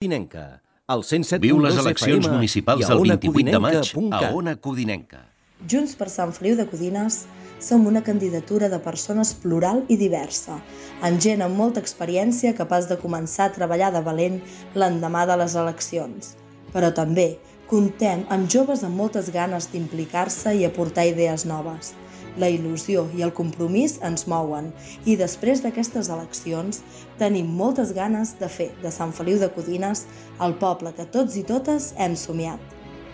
Codinenca, al 107.2 Viu les eleccions municipals del 28 de maig a Ona Codinenca. Junts per Sant Feliu de Codines som una candidatura de persones plural i diversa, amb gent amb molta experiència capaç de començar a treballar de valent l'endemà de les eleccions. Però també comptem amb joves amb moltes ganes d'implicar-se i aportar idees noves. La il·lusió i el compromís ens mouen i després d'aquestes eleccions tenim moltes ganes de fer de Sant Feliu de Codines el poble que tots i totes hem somiat.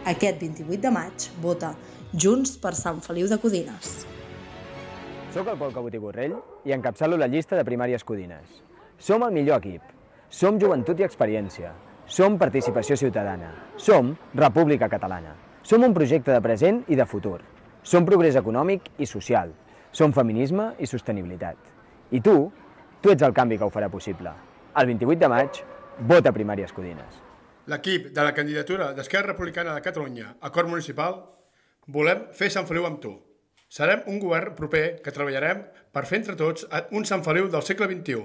Aquest 28 de maig vota Junts per Sant Feliu de Codines. Soc el Pol Cabot i Borrell i encapçalo la llista de Primàries Codines. Som el millor equip. Som joventut i experiència. Som participació ciutadana. Som República Catalana. Som un projecte de present i de futur. Som progrés econòmic i social. Som feminisme i sostenibilitat. I tu ets el canvi que ho farà possible. El 28 de maig, vota Primàries Codines. L'equip de la candidatura d'Esquerra Republicana de Catalunya a Cort Municipal volem fer Sant Feliu amb tu. Serem un govern proper que treballarem per fer entre tots un Sant Feliu del segle XXI.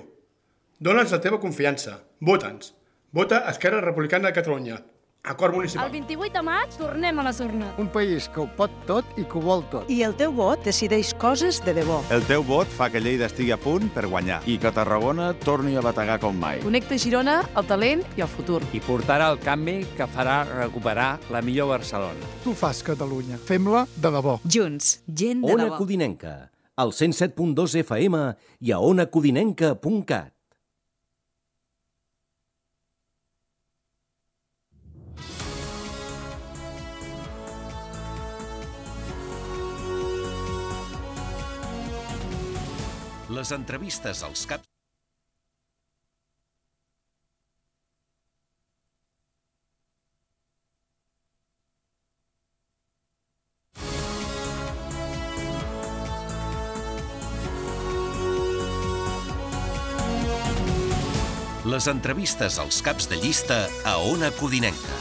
Dóna'ns la teva confiança. Vota'ns. Vota Esquerra Republicana de Catalunya a Cort Municipal. El 28 de maig tornem a les urnes. Un país que ho pot tot i que ho vol tot. I el teu vot decideix coses de debò. El teu vot fa que Lleida estigui a punt per guanyar. I que Tarragona torni a bategar com mai. Connecta Girona, el talent i el futur. I portarà el canvi que farà recuperar la millor Barcelona. Tu fas Catalunya. Fem-la de debò. Junts, gent de Ona debò. Codinenca, al 107.2 FM i a onacodinenca.cat. Les entrevistes als caps... Les entrevistes als caps de llista a Ona Codinenca.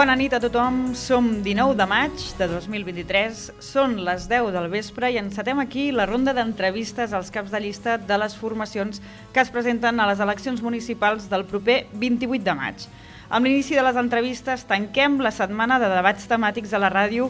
Bona nit a tothom, som 19 de maig de 2023, són les 10 del vespre i encetem aquí la ronda d'entrevistes als caps de llista de les formacions que es presenten a les eleccions municipals del proper 28 de maig. Amb l'inici de les entrevistes tanquem la setmana de debats temàtics a la ràdio.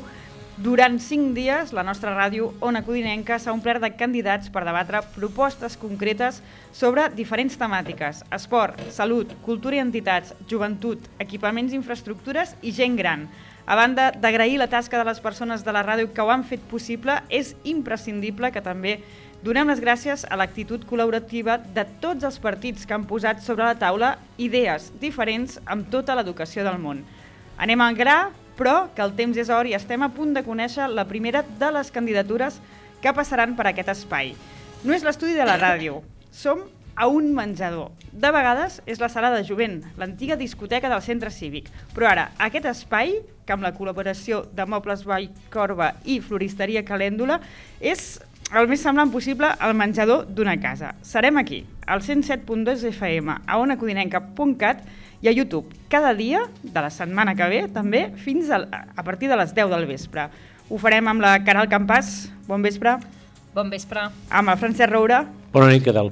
Durant 5 dies, la nostra ràdio Ona Codinenca s'ha omplert de candidats per debatre propostes concretes sobre diferents temàtiques: esport, salut, cultura i entitats, joventut, equipaments i infraestructures i gent gran. A banda d'agrair la tasca de les persones de la ràdio que ho han fet possible, és imprescindible que també donem les gràcies a l'actitud col·laborativa de tots els partits que han posat sobre la taula idees diferents amb tota l'educació del món. Anem al gra, però que el temps és or i estem a punt de conèixer la primera de les candidatures que passaran per aquest espai. No és l'estudi de la ràdio, som a un menjador. De vegades és la sala de jovent, l'antiga discoteca del centre cívic. Però ara, aquest espai, que amb la col·laboració de Mobles Vallcorba i Floristeria Calèndula, és el més semblant possible al menjador d'una casa. Serem aquí, al 107.2 FM, a onacodinenca.cat i a YouTube, cada dia de la setmana que ve, també, fins a partir de les 10 del vespre. Ho farem amb la Caral Campàs. Bon vespre. Bon vespre. Amb el Francesc Roura. Bona nit, Caral.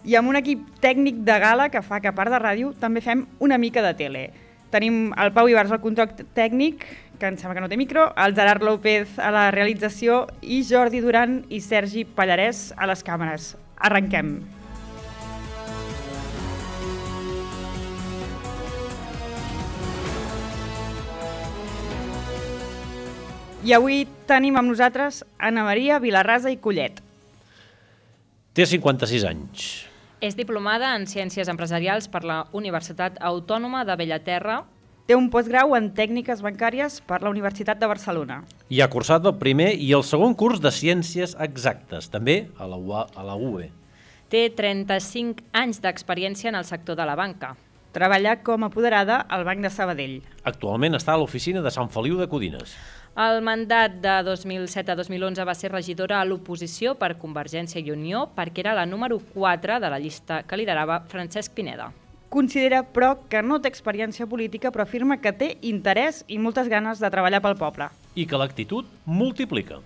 I amb un equip tècnic de gala que fa que, a part de ràdio, també fem una mica de tele. Tenim el Pau Ibars al control tècnic, que em sembla que no té micro, el Gerard López a la realització i Jordi Duran i Sergi Pallarès a les càmeres. Arrenquem. I avui tenim amb nosaltres Anna Maria Vilarrasa i Collet. Té 56 anys. És diplomada en Ciències Empresarials per la Universitat Autònoma de Bellaterra. Té un postgrau en Tècniques Bancàries per la Universitat de Barcelona. I ha cursat el primer i el segon curs de Ciències Exactes, també a la UE. Té 35 anys d'experiència en el sector de la banca. Treballa com a apoderada al Banc de Sabadell. Actualment està a l'oficina de Sant Feliu de Codines. El mandat de 2007 a 2011 va ser regidora a l'oposició per Convergència i Unió perquè era la número 4 de la llista que liderava Francesc Pineda. Considera, però, que no té experiència política, però afirma que té interès i moltes ganes de treballar pel poble. I que l'actitud multiplica.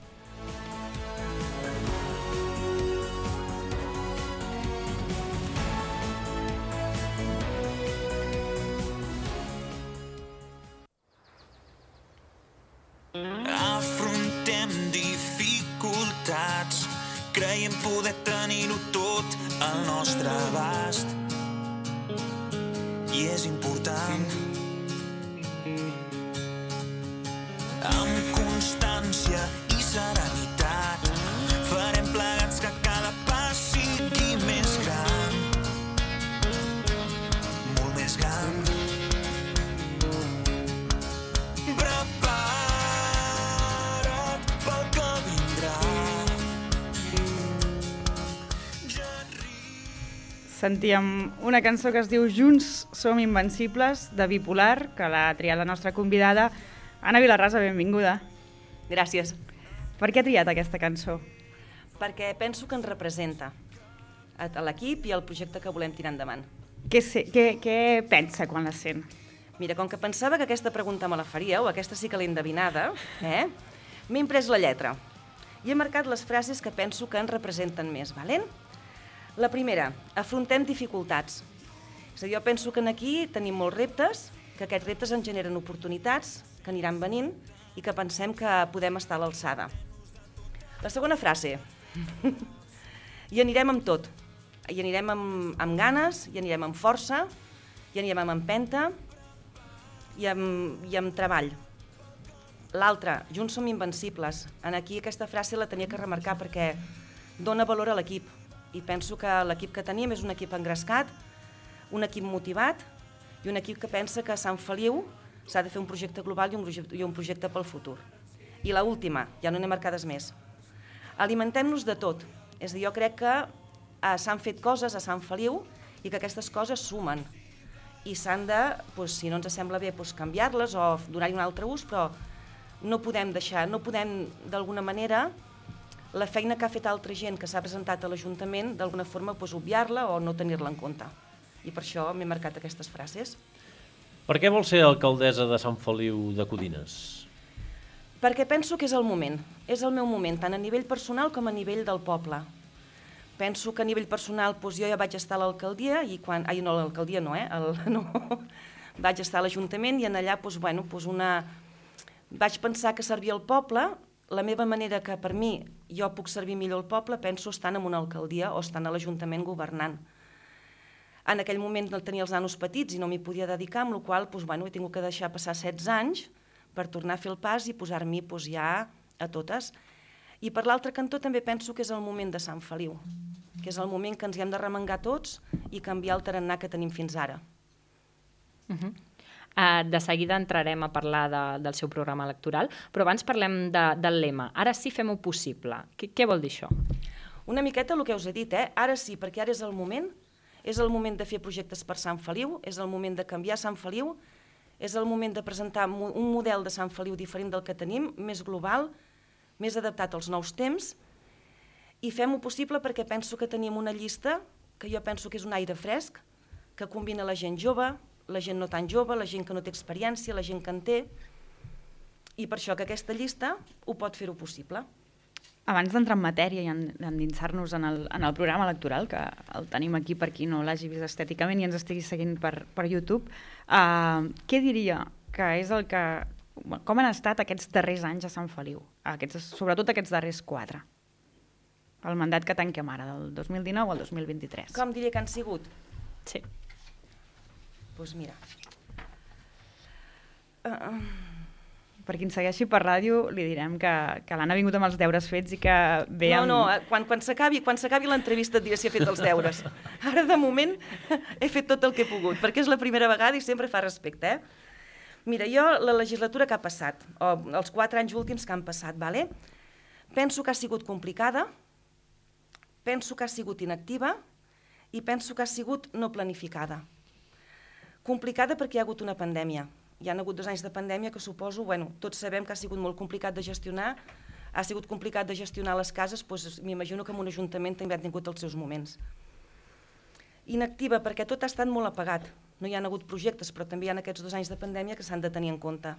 Afrontem dificultats, creiem poder tenir-ho tot al nostre abast. I és important. Amb constància i serenitat farem plegats que cada pas sigui més gran, molt més gran. Sentíem una cançó que es diu Junts som invencibles, de Bipolar, que l'ha triat la nostra convidada. Anna Vilarrasa, benvinguda. Gràcies. Per què ha triat aquesta cançó? Perquè penso que ens representa a l'equip i al projecte que volem tirar endavant. Què pensa quan la sent? Mira, com que pensava que aquesta pregunta me la faríeu, aquesta sí que l'he endevinada, m'he imprès la lletra i he marcat les frases que penso que ens representen més, valent? La primera, afrontem dificultats. És a dir, jo penso que aquí tenim molts reptes, que aquests reptes ens generen oportunitats, que aniran venint i que pensem que podem estar a l'alçada. La segona frase, hi anirem amb tot. Hi anirem amb ganes, hi anirem amb força, hi anirem amb empenta i amb treball. L'altra, junts som invencibles. Aquí aquesta frase la tenia que remarcar perquè dona valor a l'equip. I penso que l'equip que tenim és un equip engrescat, un equip motivat i un equip que pensa que a Sant Feliu s'ha de fer un projecte global i un projecte pel futur. I l'última, ja no n'he marcades més. Alimentem-nos de tot. És a dir, jo crec que s'han fet coses a Sant Feliu i que aquestes coses sumen. I s'han de, si no ens sembla bé, canviar-les o donar-hi un altre ús, però no podem deixar, no podem d'alguna manera la feina que ha fet altra gent que s'ha presentat a l'Ajuntament, d'alguna forma obviar-la o no tenir-la en compte. I per això m'he marcat aquestes frases. Per què vol ser alcaldessa de Sant Feliu de Codines? Perquè penso que és el moment. És el meu moment, tant a nivell personal com a nivell del poble. Penso que a nivell personal jo ja vaig estar a l'alcaldia, i quan... Ai, no, l'alcaldia no, vaig estar a l'Ajuntament i en allà vaig pensar que servir al poble, la meva manera que per mi jo puc servir millor al poble, penso estant en una alcaldia o estant a l'Ajuntament governant. En aquell moment tenia els nanos petits i no m'hi podia dedicar, amb la qual cosa he tingut que deixar passar 16 anys per tornar a fer el pas i posar-m'hi ja a totes. I per l'altre cantó també penso que és el moment de Sant Feliu, que és el moment que ens hi hem de remengar tots i canviar el tarannà que tenim fins ara. De seguida entrarem a parlar del seu programa electoral, però abans parlem del lema. Ara sí fem-ho possible. Què vol dir això? Una miqueta el que us he dit, ara sí, perquè ara és el moment de fer projectes per Sant Feliu, és el moment de canviar Sant Feliu, és el moment de presentar un model de Sant Feliu diferent del que tenim, més global, més adaptat als nous temps, i fem-ho possible perquè penso que tenim una llista que jo penso que és un aire fresc, que combina la gent jove, la gent no tan jove, la gent que no té experiència, la gent que en té, i per això que aquesta llista ho pot fer-ho possible. Abans d'entrar en matèria i endinsar-nos en el programa electoral, que el tenim aquí per qui no l'hagi vist estèticament i ens estigui seguint per YouTube, què diria que és el que... Com han estat aquests darrers anys a Sant Feliu? Sobretot aquests darrers 4. El mandat que tanquem ara, del 2019 al 2023. Com diria que han sigut? Sí. Doncs mira... Per qui ens segueixi per ràdio li direm que l'Anna ha vingut amb els deures fets i que ve amb... No, quan s'acabi l'entrevista et diré si he fet els deures. Ara, de moment, he fet tot el que he pogut, perquè és la primera vegada i sempre fa respecte, Mira, jo, la legislatura que ha passat, o els 4 anys últims que han passat, penso que ha sigut complicada, penso que ha sigut inactiva i penso que ha sigut no planificada. Complicada perquè hi ha hagut una pandèmia. Hi ha hagut 2 anys de pandèmia que suposo, tots sabem que ha sigut molt complicat de gestionar, ha sigut complicat de gestionar les cases, doncs m'imagino que en un ajuntament també ha tingut els seus moments. Inactiva perquè tot ha estat molt apagat. No hi ha hagut projectes, però també hi ha aquests 2 anys de pandèmia que s'han de tenir en compte.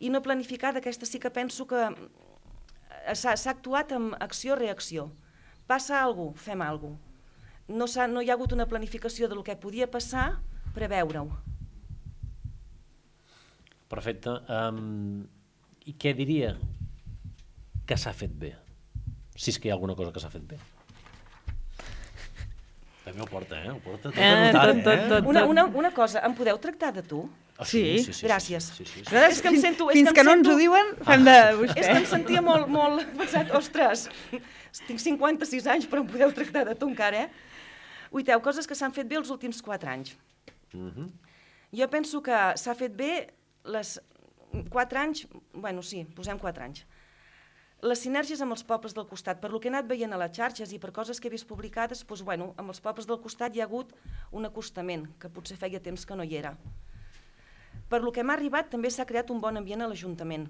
I no planificada, aquesta sí que penso que s'ha actuat amb acció-reacció. Passa alguna cosa, fem alguna cosa. No hi ha hagut una planificació del que podia passar, preveure-ho. Perfecte. I què diria que s'ha fet bé? Si és que hi ha alguna cosa que s'ha fet bé. També ho porta, Ho porta tot anotat, Una cosa, em podeu tractar de tu? Sí. Gràcies. És que em sento... Fins que no ens ho diuen, fem de vostè. És que em sentia molt pensat, ostres, tinc 56 anys, però em podeu tractar de tu encara, Uiteu, coses que s'han fet bé els últims 4 anys. Jo penso que s'ha fet bé les 4 anys, posem 4 anys. Les sinergies amb els pobles del costat, per lo que he anat veient a les xarxes i per coses que he vist publicades, amb els pobles del costat hi ha hagut un acostament, que potser feia temps que no hi era. Per lo que m'ha arribat, també s'ha creat un bon ambient a l'Ajuntament.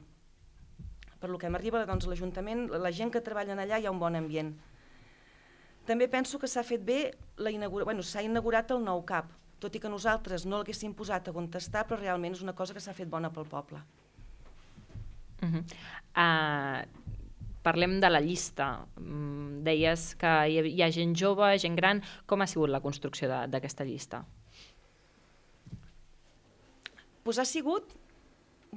Per lo que m'arriba, a l'Ajuntament, la gent que treballa allà hi ha un bon ambient. També penso que s'ha fet bé, s'ha inaugurat el nou CAP, tot i que nosaltres no l'haguéssim posat a contestar, però realment és una cosa que s'ha fet bona pel poble. Parlem de la llista. Deies que hi ha gent jove, gent gran. Com ha sigut la construcció d'aquesta llista? Doncs ha sigut...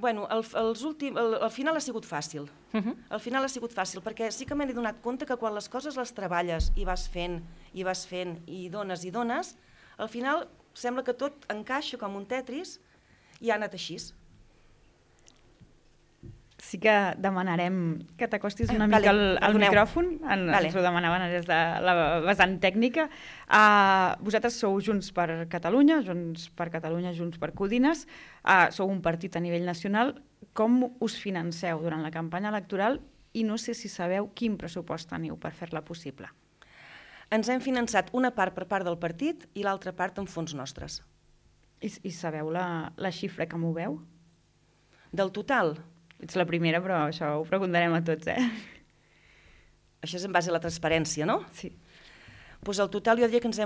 al final ha sigut fàcil. Al final ha sigut fàcil, perquè sí que m'he donat compte que quan les coses les treballes i vas fent, i dones, al final sembla que tot encaixa com un Tetris i ha anat així. Sí que demanarem que t'acostis una mica al micròfon, ens ho demanaven des de la vessant tècnica. Vosaltres sou Junts per Catalunya, Junts per Codines, sou un partit a nivell nacional. Com us financeu durant la campanya electoral i no sé si sabeu quin pressupost teniu per fer-la possible? Ens hem finançat una part per part del partit i l'altra part amb fons nostres. I sabeu la xifra que moveu? Del total? Ets la primera, però això ho preguntarem a tots, Això és en base a la transparència, no? Sí. Doncs el total jo diria que ens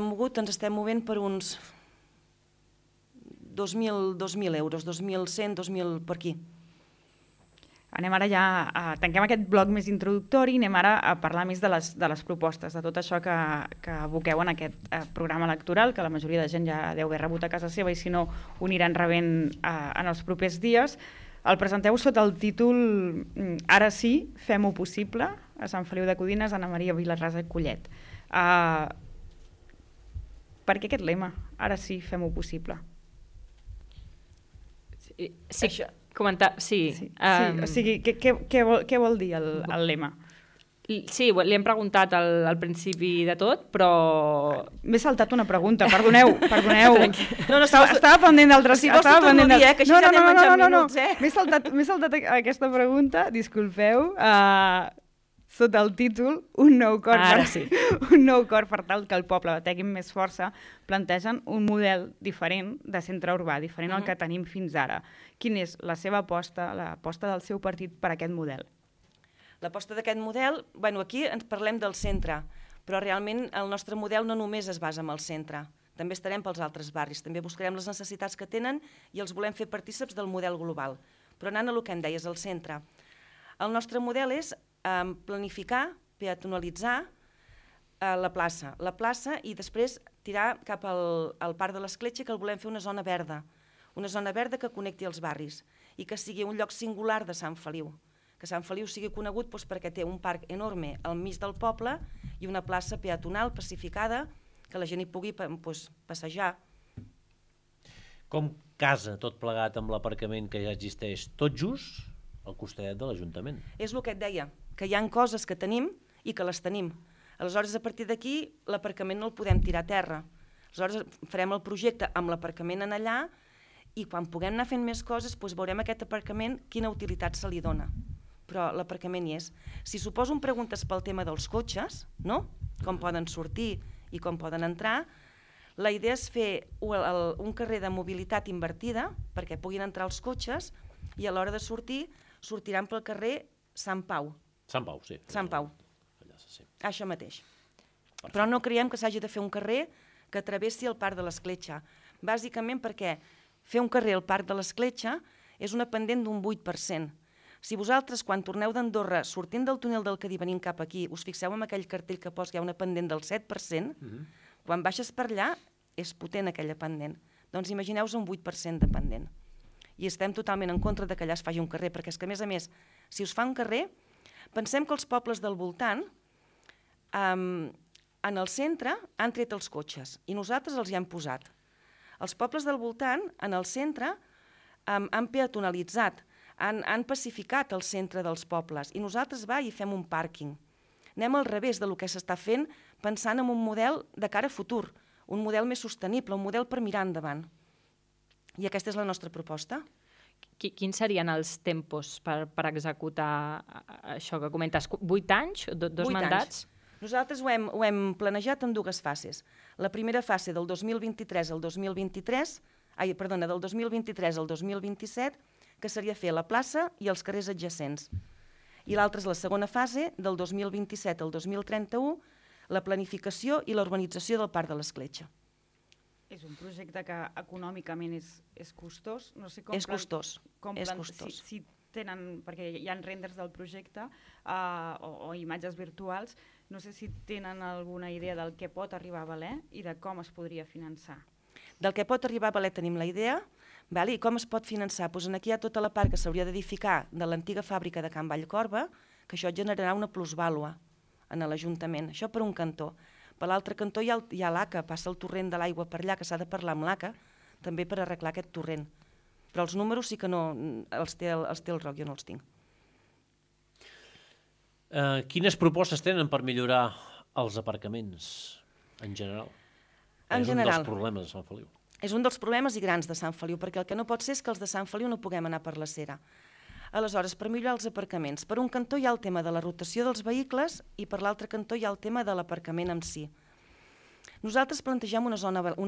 estem movent per uns 2.000 euros, 2.100, 2.000 per aquí. Anem ara ja, tanquem aquest bloc més introductori i anem ara a parlar més de les propostes, de tot això que aboqueu en aquest programa electoral, que la majoria de gent ja deu haver rebut a casa seva i si no ho aniran rebent en els propers dies. El presenteu sota el títol Ara sí, fem-ho possible, a Sant Feliu de Codines, Anna Maria Vilarrasa Collet. Per què aquest lema? Ara sí, fem-ho possible. Sí, comentar, sí. O sigui, què vol dir el lema? Sí, li hem preguntat al principi de tot, però... M'he saltat una pregunta, perdoneu. No, estava pendent d'altres... Si vols t'ho torno a dir, que així ja anem menjant minuts, M'he saltat aquesta pregunta, disculpeu, sota el títol Un nou cor per tal que el poble tingui més força, plantegen un model diferent de centre urbà, diferent al que tenim fins ara. Quina és la seva aposta, l'aposta del seu partit per aquest model? L'aposta d'aquest model, aquí ens parlem del centre, però realment el nostre model no només es basa en el centre, també estarem pels altres barris, també buscarem les necessitats que tenen i els volem fer partícips del model global. Però anant a el que em deies, el centre. El nostre model és planificar, peatonalitzar la plaça i després tirar cap al Parc de l'Escletxa, que el volem fer una zona verda que connecti els barris i que sigui un lloc singular de Sant Feliu. Que Sant Feliu sigui conegut perquè té un parc enorme al mig del poble i una plaça peatonal pacificada que la gent hi pugui passejar. Com casa tot plegat amb l'aparcament que ja existeix tot just al costadet de l'Ajuntament? És el que et deia, que hi ha coses que tenim i que les tenim. Aleshores, a partir d'aquí, l'aparcament no el podem tirar a terra. Aleshores, farem el projecte amb l'aparcament en allà i quan puguem anar fent més coses, veurem aquest aparcament quina utilitat se li dona. Però l'aparcament hi és. Si suposo em preguntes pel tema dels cotxes, no? Com poden sortir i com poden entrar, la idea és fer un carrer de mobilitat invertida perquè puguin entrar els cotxes i a l'hora de sortir, sortiran pel carrer Sant Pau. Sant Pau, sí. Sant Pau. Això mateix. Però no creiem que s'hagi de fer un carrer que travessi el Parc de l'Escletxa. Bàsicament perquè fer un carrer al Parc de l'Escletxa és una pendent d'un 8%. Si vosaltres, quan torneu d'Andorra, sortint del túnel del Cadí, venint cap aquí, us fixeu en aquell cartell que posa que hi ha una pendent del 7%, quan baixes per allà és potent aquella pendent. Doncs imagineu-vos un 8% de pendent. I estem totalment en contra que allà es faci un carrer, perquè és que, a més, si us fa un carrer, pensem que els pobles del voltant, en el centre, han tret els cotxes i nosaltres els hi hem posat. Els pobles del voltant, en el centre, han peatonalitzat, han pacificat el centre dels pobles i nosaltres i fem un pàrquing. Anem al revés del que s'està fent pensant en un model de cara a futur, un model més sostenible, un model per mirar endavant. I aquesta és la nostra proposta. Quins serien els tempos per executar això que comentes? 8 anys? 2 mandats? Nosaltres ho hem planejat en 2 fases. La primera fase del 2023 al 2027, que seria fer la plaça i els carrers adjacents. I l'altra és la segona fase, del 2027 al 2031, la planificació i l'urbanització del Parc de l'Escletxa. És un projecte que econòmicament és costós. No sé com és costós. Si tenen, perquè hi ha renders del projecte o imatges virtuals, no sé si tenen alguna idea del que pot arribar a valer i de com es podria finançar. Del que pot arribar a valer tenim la idea. I com es pot finançar? Aquí hi ha tota la part que s'hauria d'edificar de l'antiga fàbrica de Can Vallcorba, que això generarà una plusvàlua en l'Ajuntament. Això per un cantó. Per l'altre cantó hi ha l'ACA, passa el torrent de l'aigua per allà, que s'ha de parlar amb l'ACA, també per arreglar aquest torrent. Però els números sí que no els té el Roc, jo no els tinc. Quines propostes tenen per millorar els aparcaments en general? És un dels problemes de Sant Feliu. És un dels problemes i grans de Sant Feliu, perquè el que no pot ser és que els de Sant Feliu no puguem anar per la Cera. Aleshores, per millorar els aparcaments, per un cantó hi ha el tema de la rotació dels vehicles i per l'altre cantó hi ha el tema de l'aparcament en si. Nosaltres plantegem una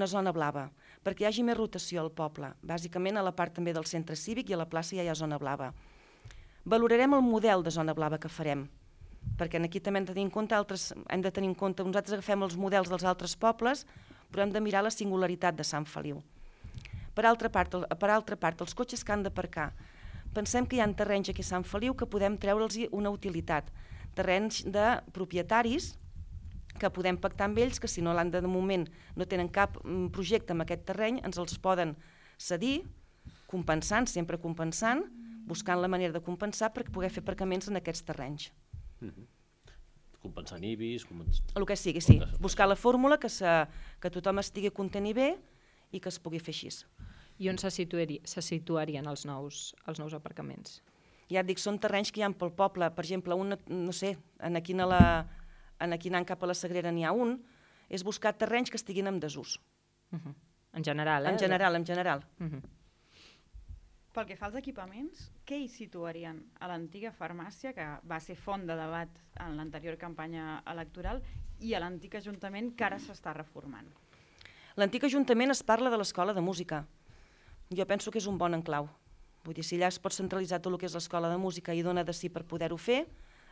zona blava, perquè hi hagi més rotació al poble. Bàsicament a la part també del centre cívic i a la plaça ja hi ha zona blava. Valorarem el model de zona blava que farem, perquè aquí també hem de tenir en compte, nosaltres agafem els models dels altres pobles, però hem de mirar la singularitat de Sant Feliu. Per altra part, els cotxes que han d'aparcar. pensem que hi ha terrenys aquí a Sant Feliu que podem treure'ls una utilitat. Terrenys de propietaris que podem pactar amb ells, que si no de moment no tenen cap projecte amb aquest terreny, ens els poden cedir, compensant, sempre compensant, buscant la manera de compensar per poder fer aparcaments en aquests terrenys. Compensant IBIs... El que sigui, sí. Buscar la fórmula que tothom estigui content i bé i que es pugui fer així. I on se situarien els nous aparcaments? Ja et dic, són terrenys que hi ha pel poble. Per exemple, no sé, aquí anant cap a la Sagrera n'hi ha un, és buscar terrenys que estiguin en desús. En general, En general. Pel que fa als equipaments, què hi situarien a l'antiga farmàcia, que va ser font de debat en l'anterior campanya electoral, i a l'antic Ajuntament, que ara s'està reformant? L'antic Ajuntament es parla de l'escola de música. Jo penso que és un bon enclau. Vull dir, si allà es pot centralitzar tot el que és l'escola de música i dona de si per poder-ho fer,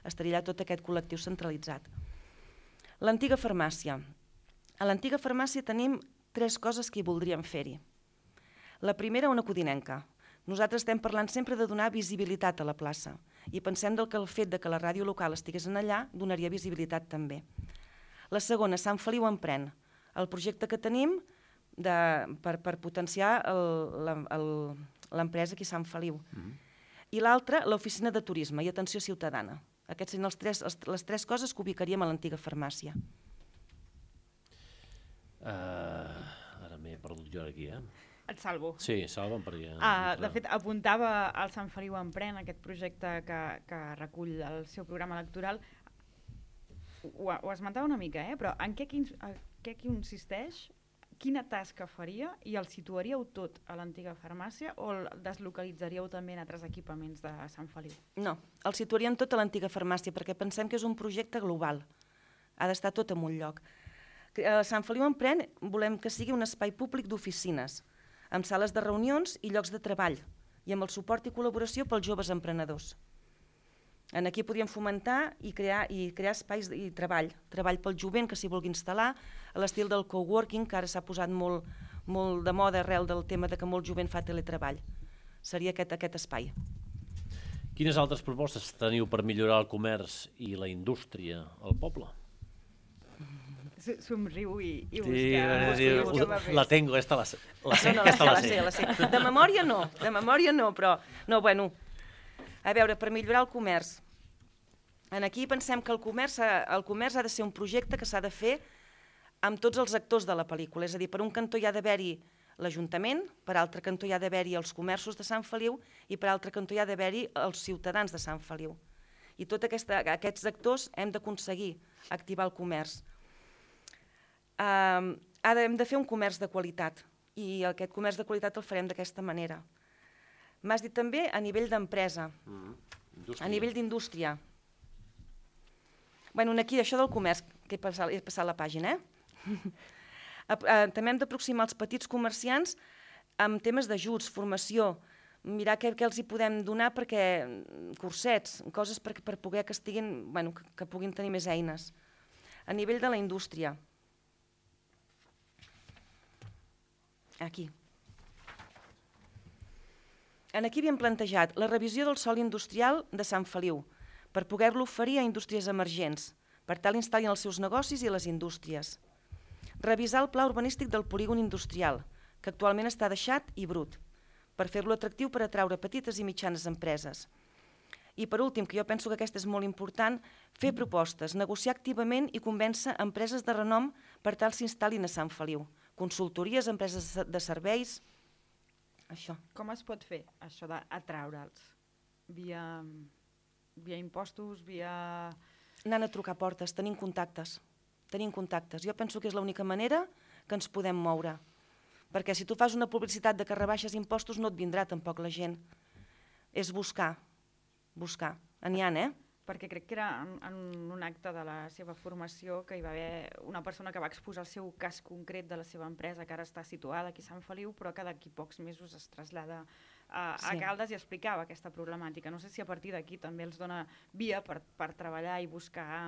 estaria allà tot aquest col·lectiu centralitzat. L'antiga farmàcia. A l'antiga farmàcia tenim 3 coses que hi voldríem fer-hi. La primera, una codinenca. Nosaltres estem parlant sempre de donar visibilitat a la plaça i pensem que el fet que la ràdio local estigués allà donaria visibilitat també. La segona, Sant Feliu Emprèn, el projecte que tenim per potenciar l'empresa aquí a Sant Feliu. I l'altra, l'oficina de turisme i atenció ciutadana. Aquestes són les 3 coses que ubicaríem a l'antiga farmàcia. Ara m'he perdut jo aquí, Et salvo. Sí, salva'm perquè... De fet, apuntava al Sant Feliu Emprèn, aquest projecte que recull el seu programa electoral. Ho esmentava una mica, però en què consisteix, quina tasca faria i el situaríeu tot a l'antiga farmàcia o el deslocalitzaríeu també en altres equipaments de Sant Feliu? No, el situaríem tot a l'antiga farmàcia perquè pensem que és un projecte global. Ha d'estar tot en un lloc. A Sant Feliu Emprèn volem que sigui un espai públic d'oficines, amb sales de reunions i llocs de treball, i amb el suport i col·laboració pels joves emprenedors. Aquí podríem fomentar i crear espais i treball pel jovent que s'hi vulgui instal·lar, a l'estil del coworking, que ara s'ha posat molt de moda arrel del tema que molt jovent fa teletreball. Seria aquest espai. Quines altres propostes teniu per millorar el comerç i la indústria al poble? Somriu i busca papers. La tengo, esta la sé. La sé. De memòria no, però... No, bueno, a veure, per millorar el comerç. Aquí pensem que el comerç ha de ser un projecte que s'ha de fer amb tots els actors de la pel·lícula. És a dir, per un cantó hi ha d'haver-hi l'Ajuntament, per altre cantó hi ha d'haver-hi els comerços de Sant Feliu i per altre cantó hi ha d'haver-hi els ciutadans de Sant Feliu. I tots aquests actors hem d'aconseguir activar el comerç. Hem de fer un comerç de qualitat i aquest comerç de qualitat el farem d'aquesta manera. M'has dit també a nivell d'empresa, a nivell d'indústria. Bueno, aquí això del comerç, que he passat la pàgina, també hem d'aproximar els petits comerciants amb temes d'ajuts, formació, mirar què els hi podem donar perquè cursets, coses per poder que puguin tenir més eines. A nivell de la indústria, aquí havíem plantejat la revisió del sòl industrial de Sant Feliu per poder-lo oferir a indústries emergents, per tal instal·lin els seus negocis i les indústries. Revisar el pla urbanístic del polígon industrial, que actualment està deixat i brut, per fer-lo atractiu per atraure petites i mitjanes empreses. I per últim, que jo penso que aquesta és molt important, fer propostes, negociar activament i convèncer empreses de renom per tal s'instal·lin a Sant Feliu. Consultories, empreses de serveis, això. Com es pot fer això d'atraure'ls? Via impostos, via... Anant a trucar portes, tenim contactes. Jo penso que és l'única manera que ens podem moure. Perquè si tu fas una publicitat de que rebaixes impostos no et vindrà tampoc la gent. És buscar. N'hi ha, Perquè crec que era en un acte de la seva formació que hi va haver una persona que va exposar el seu cas concret de la seva empresa, que ara està situada aquí a Sant Feliu, però que d'aquí pocs mesos es trasllada a Caldes i explicava aquesta problemàtica. No sé si a partir d'aquí també els dona via per treballar i buscar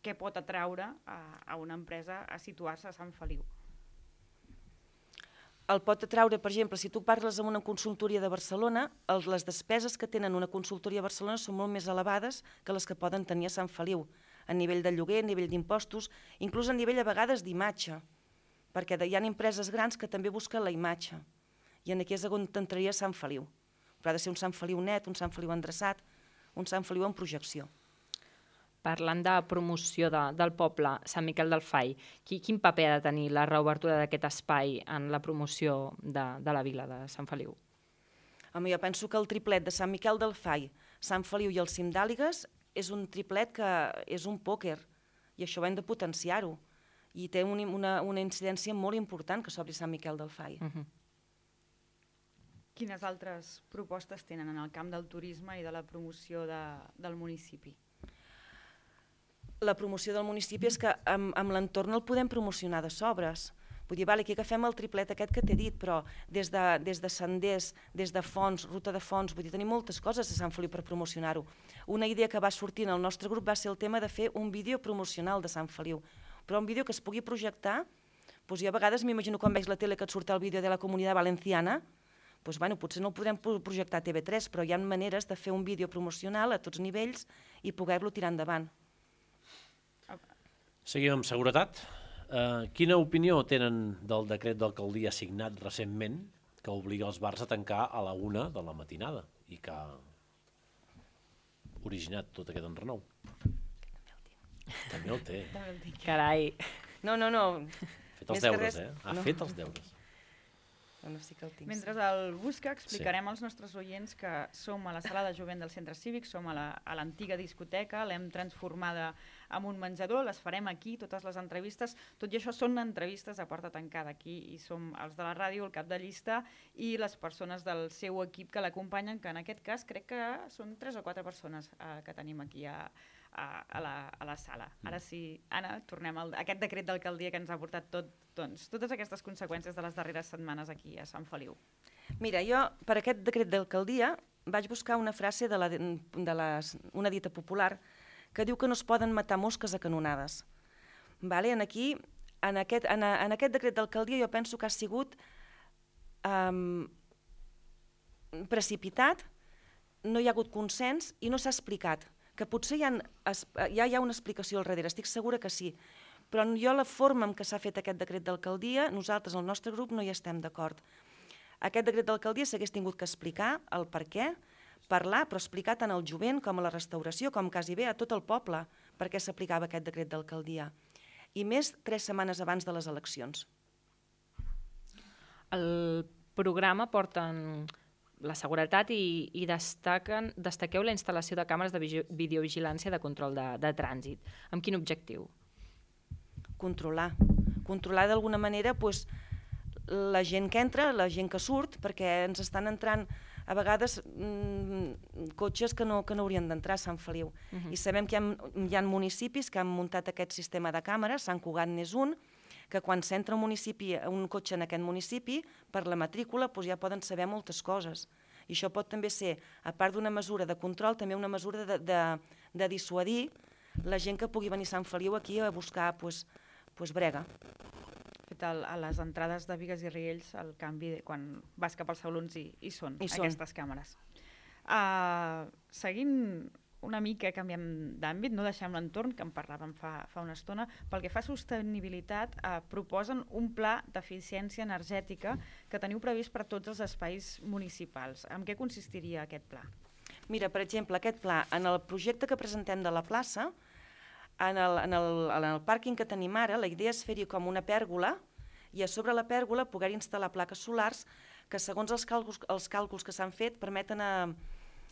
què pot atraure a una empresa a situar-se a Sant Feliu. el pot atraure, per exemple, si tu parles amb una consultoria de Barcelona, les despeses que tenen una consultoria a Barcelona són molt més elevades que les que poden tenir a Sant Feliu, a nivell de lloguer, a nivell d'impostos, inclús a nivell a vegades d'imatge, perquè hi ha empreses grans que també busquen la imatge, i aquí és on t'entraria Sant Feliu. Però ha de ser un Sant Feliu net, un Sant Feliu endreçat, un Sant Feliu en projecció. Parlant de promoció del poble, Sant Miquel del Fai, quin paper ha de tenir la reobertura d'aquest espai en la promoció de la vila de Sant Feliu? Home, jo penso que el triplet de Sant Miquel del Fai, Sant Feliu i el Cim d'Àligues és un triplet que és un pòquer, i això ho hem de potenciar-ho. I té una incidència molt important que s'obri Sant Miquel del Fai. Quines altres propostes tenen en el camp del turisme i de la promoció del municipi? La promoció del municipi és que amb l'entorn el podem promocionar de sobres. Vull dir, aquí agafem el triplet aquest que t'he dit, però des de senders, des de fonts, ruta de fonts, vull dir, tenim moltes coses a Sant Feliu per promocionar-ho. Una idea que va sortir en el nostre grup va ser el tema de fer un vídeo promocional de Sant Feliu, però un vídeo que es pugui projectar, doncs jo a vegades m'imagino quan veig la tele que et surt el vídeo de la Comunitat Valenciana, doncs potser no el podrem projectar a TV3, però hi ha maneres de fer un vídeo promocional a tots nivells i poder-lo tirar endavant. Seguim amb seguretat. Quina opinió tenen del decret d'alcaldia signat recentment que obliga els bars a tancar a la 1 de la matinada i que ha originat tot aquest enrenou? També el té. Carai. No. Ha fet els deures, Ha fet els deures. Mentre el busca, explicarem als nostres oients que som a la sala de jovent del centre cívic, som a l'antiga discoteca, l'hem transformada en un menjador, les farem aquí, totes les entrevistes, tot i això són entrevistes a porta tancada aquí, i som els de la ràdio, el cap de llista, i les persones del seu equip que l'acompanyen, que en aquest cas crec que són 3 o 4 persones que tenim aquí a la sala. Ara sí, Anna, tornem a aquest decret d'alcaldia que ens ha portat totes aquestes conseqüències de les darreres setmanes aquí a Sant Feliu. Mira, jo per aquest decret d'alcaldia vaig buscar una frase una dita popular que diu que no es poden matar mosques a canonades. En aquest decret d'alcaldia jo penso que ha sigut precipitat, no hi ha hagut consens i no s'ha explicat. Que potser ja hi ha una explicació al darrere, estic segura que sí, però jo la forma en què s'ha fet aquest decret d'alcaldia, nosaltres, el nostre grup, no hi estem d'acord. Aquest decret d'alcaldia s'hagués tingut que explicar el per què, parlar, però explicar tant al jovent com a la restauració, com quasi bé a tot el poble, per què s'aplicava aquest decret d'alcaldia. I més 3 setmanes abans de les eleccions. El programa porten la seguretat i destaqueu la instal·lació de càmeres de videovigilància de control de trànsit. Amb quin objectiu? Controlar d'alguna manera la gent que entra, la gent que surt, perquè ens estan entrant a vegades cotxes que no haurien d'entrar a Sant Feliu. I sabem que hi ha municipis que han muntat aquest sistema de càmeres, Sant Cugat n'és un, que quan s'entra un cotxe en aquest municipi, per la matrícula ja poden saber moltes coses. I això pot també ser, a part d'una mesura de control, també una mesura de dissuadir la gent que pugui venir a Sant Feliu aquí a buscar brega. A les entrades de Bigues i Riells, el canvi, quan vas cap als salons hi són aquestes càmeres. Seguint una mica, canviem d'àmbit, no deixem l'entorn, que en parlàvem fa una estona, pel que fa a sostenibilitat, proposen un pla d'eficiència energètica que teniu previst per a tots els espais municipals. En què consistiria aquest pla? Mira, per exemple, aquest pla, en el projecte que presentem de la plaça, en el pàrquing que tenim ara, la idea és fer-hi com una pèrgola i a sobre la pèrgola poder instal·lar plaques solars que, segons els càlculs que s'han fet, permeten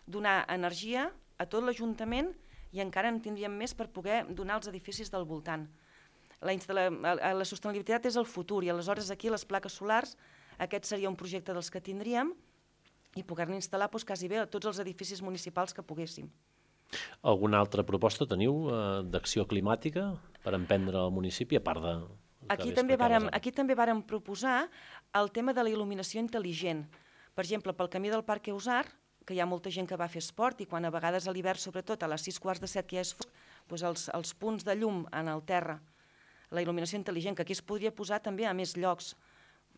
donar energia a tot l'Ajuntament i encara en tindríem més per poder donar als edificis del voltant. La sostenibilitat és el futur i aleshores aquí les plaques solars, aquest seria un projecte dels que tindríem i poder-ne instal·lar quasi bé a tots els edificis municipals que poguéssim. Alguna altra proposta teniu d'acció climàtica per emprendre al municipi, a part de... Aquí també vàrem proposar el tema de la il·luminació intel·ligent. Per exemple, pel camí del Parc Eusar, que hi ha molta gent que va fer esport i quan a vegades a l'hivern, sobretot a les 6:45 que ja és fosc, els punts de llum en el terra, la il·luminació intel·ligent, que aquí es podria posar també a més llocs,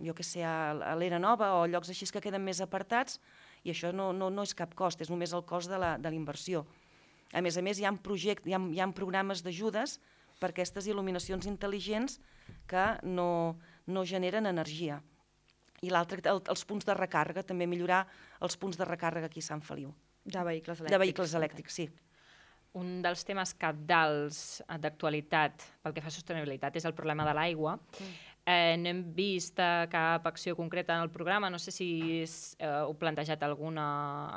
jo què sé, a l'Era Nova o llocs així que queden més apartats, i això no és cap cost, és només el cost de la inversió. A més, hi ha programes d'ajudes per aquestes il·luminacions intel·ligents que no generen energia. I l'altre, els punts de recàrrega, també millorar els punts de recàrrega aquí a Sant Feliu. De vehicles elèctrics. De vehicles elèctrics, sí. Un dels temes cabdals d'actualitat pel que fa a sostenibilitat és el problema de l'aigua. No hem vist cap acció concreta en el programa, no sé si heu plantejat alguna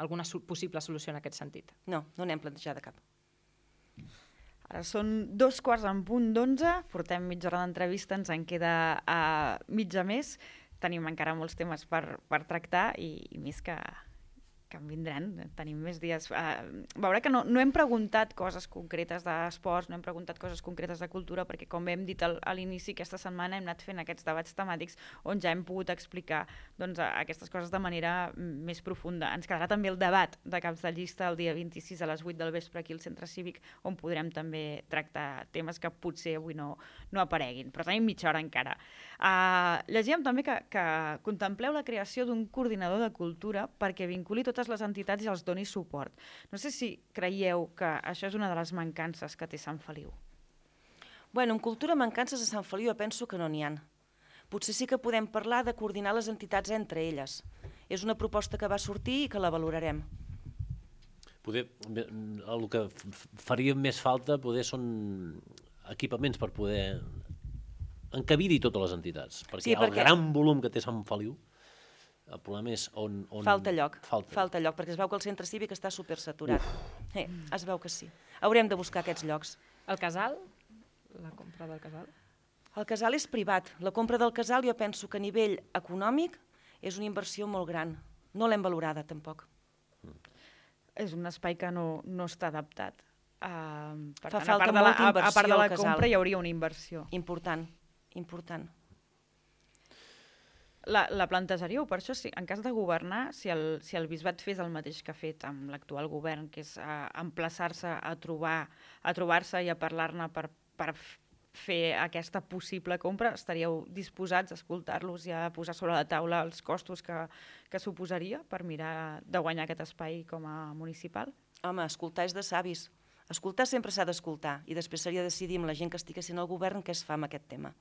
possible solució en aquest sentit. No n'hem plantejat cap. Ara són 11:15, portem mitja hora d'entrevista, ens en queda mitja més. Tenim encara molts temes per tractar i més que en vindran, tenim més dies. Veurà que no hem preguntat coses concretes d'esports, no hem preguntat coses concretes de cultura, perquè com hem dit a l'inici, aquesta setmana hem anat fent aquests debats temàtics on ja hem pogut explicar aquestes coses de manera més profunda. Ens quedarà també el debat de caps de llista el dia 26 a les 8 del vespre aquí al Centre Cívic, on podrem també tractar temes que potser avui no apareguin, però tenim mitja hora encara. Llegíem també que contempleu la creació d'un coordinador de cultura perquè vinculi totes les entitats i els doni suport. No sé si creieu que això és una de les mancances que té Sant Feliu. Bueno, en cultura mancances a Sant Feliu jo penso que no n'hi ha. Potser sí que podem parlar de coordinar les entitats entre elles. És una proposta que va sortir i que la valorarem. El que faria més falta són equipaments per poder encabir-hi totes les entitats, perquè el gran volum que té Sant Feliu, el problema és on... Falta lloc, perquè es veu que el centre cívic està supersaturat. Es veu que sí. Haurem de buscar aquests llocs. El casal? La compra del casal? El casal és privat. La compra del casal jo penso que a nivell econòmic és una inversió molt gran. No l'hem valorada, tampoc. És un espai que no està adaptat. Per tant, falta molta inversió a part de la compra hi hauria una inversió. Important. La plantejaríeu, per això, en cas de governar, si el bisbat fes el mateix que ha fet amb l'actual govern, que és emplaçar-se a trobar-se i a parlar-ne per fer aquesta possible compra, estaríeu disposats a escoltar-los i a posar sobre la taula els costos que suposaria per mirar de guanyar aquest espai com a municipal? Home, escoltar és de savis. Escoltar sempre s'ha d'escoltar i després seria decidir amb la gent que estigui sent al govern què es fa amb aquest tema.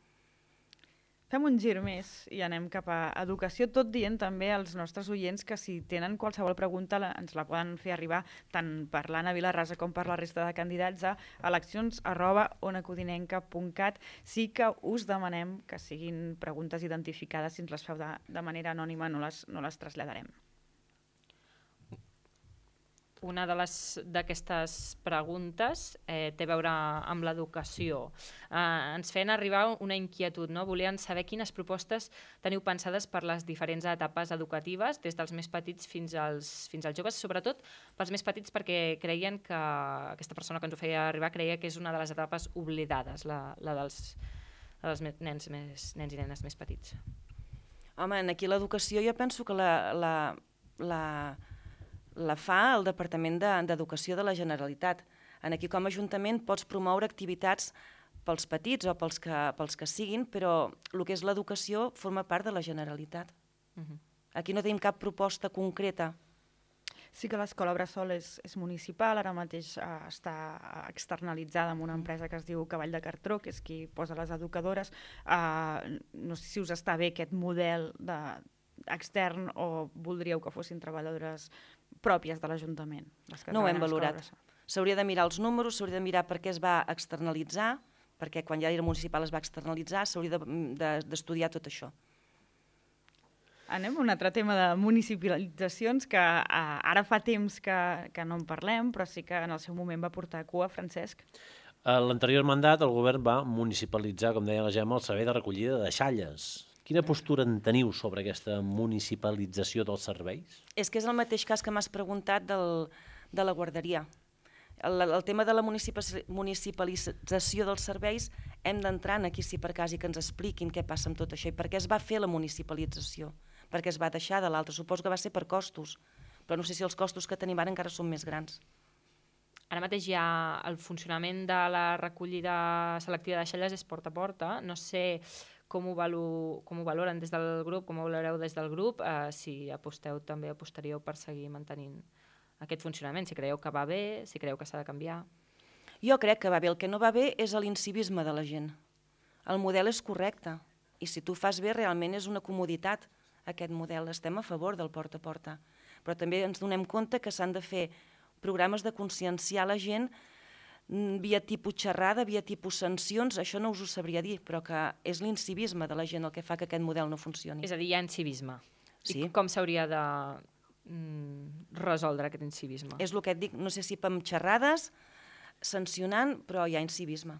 Fem un gir més i anem cap a educació, tot dient també als nostres oients que si tenen qualsevol pregunta ens la poden fer arribar tant per l'Anna Vilarrasa com per la resta de candidats a eleccions@onacodinenca.cat. Sí que us demanem que siguin preguntes identificades, si ens les feu de manera anònima no les traslladarem. Una d'aquestes preguntes té a veure amb l'educació. Ens feien arribar una inquietud, no? Volien saber quines propostes teniu pensades per les diferents etapes educatives, des dels més petits fins als joves, sobretot pels més petits perquè creien que aquesta persona que ens ho feia arribar creia que és una de les etapes oblidades, la dels nens i nenes més petits. Home, aquí l'educació jo penso que la fa el Departament d'Educació de la Generalitat. Aquí com a Ajuntament pots promoure activitats pels petits o pels que siguin, però el que és l'educació forma part de la Generalitat. Aquí no tenim cap proposta concreta. Sí que l'escola Bressol és municipal, ara mateix està externalitzada amb una empresa que es diu Cavall de Cartró, que és qui posa les educadores. No sé si us està bé aquest model extern o voldríeu que fossin treballadores pròpies de l'Ajuntament. No ho hem valorat. S'hauria de mirar els números, s'hauria de mirar per què es va externalitzar, perquè quan ja era municipal es va externalitzar, s'hauria d'estudiar tot això. Anem a un altre tema de municipalitzacions que ara fa temps que no en parlem, però sí que en el seu moment va portar a cua, Francesc. A l'anterior mandat el govern va municipalitzar, com deia la Gemma, el servei de recollida de deixalles. Quina postura en teniu sobre aquesta municipalització dels serveis? És que és el mateix cas que m'has preguntat de la guarderia. El tema de la municipalització dels serveis hem d'entrar aquí si per cas i que ens expliquin què passa amb tot això i per què es va fer la municipalització, per què es va deixar de l'altre. Suposo que va ser per costos, però no sé si els costos que tenim ara encara són més grans. Ara mateix hi ha el funcionament de la recollida selectiva de deixalles és porta a porta. No sé com ho valoren des del grup, com ho valoreu des del grup, si apostaríeu per seguir mantenint aquest funcionament, si creieu que va bé, si creieu que s'ha de canviar. Jo crec que va bé. El que no va bé és l'incivisme de la gent. El model és correcte i si tu fas bé realment és una comoditat aquest model. Estem a favor del porta a porta, però també ens donem compte que s'han de fer programes de conscienciar la gent via tipus xerrada, via tipus sancions, això no us ho sabria dir, però que és l'incivisme de la gent el que fa que aquest model no funcioni. És a dir, hi ha incivisme. Sí. I com s'hauria de resoldre aquest incivisme? És el que et dic, no sé si amb xerrades, sancionant, però hi ha incivisme.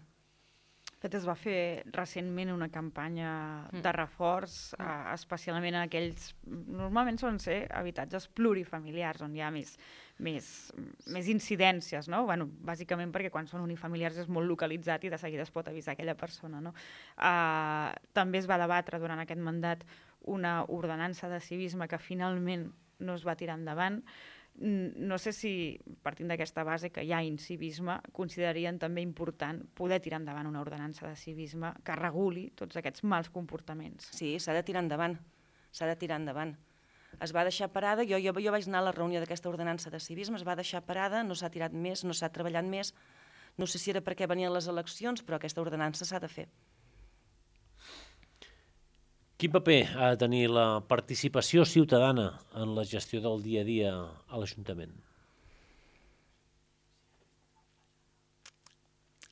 De fet, es va fer recentment una campanya de reforç, especialment en aquells... Normalment solen ser habitatges plurifamiliars, on hi ha més incidències, no? Bueno, bàsicament perquè quan són unifamiliars és molt localitzat i de seguida es pot avisar aquella persona, no? També es va debatre durant aquest mandat una ordenança de civisme que finalment no es va tirar endavant. No sé si, partint d'aquesta base que hi ha incivisme, considerarien també important poder tirar endavant una ordenança de civisme que reguli tots aquests mals comportaments. Sí, s'ha de tirar endavant. S'ha de tirar endavant. Es va deixar parada, jo vaig anar a la reunió d'aquesta ordenança de civisme, es va deixar parada, no s'ha tirat més, no s'ha treballat més. No sé si era perquè venien les eleccions, però aquesta ordenança s'ha de fer. Quin paper ha de tenir la participació ciutadana en la gestió del dia a dia a l'Ajuntament?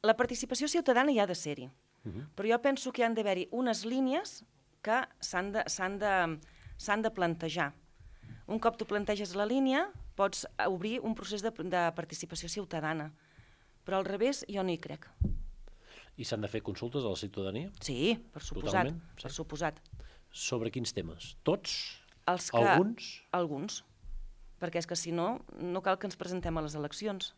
La participació ciutadana hi ha de ser-hi, però jo penso que hi han d'haver-hi unes línies que s'han de plantejar. Un cop tu planteges la línia, pots obrir un procés de participació ciutadana, però al revés jo no hi crec. I s'han de fer consultes a la ciutadania? Sí, per suposat. Per suposat. Sobre quins temes? Tots? Alguns? Alguns. Perquè és que si no, no cal que ens presentem a les eleccions.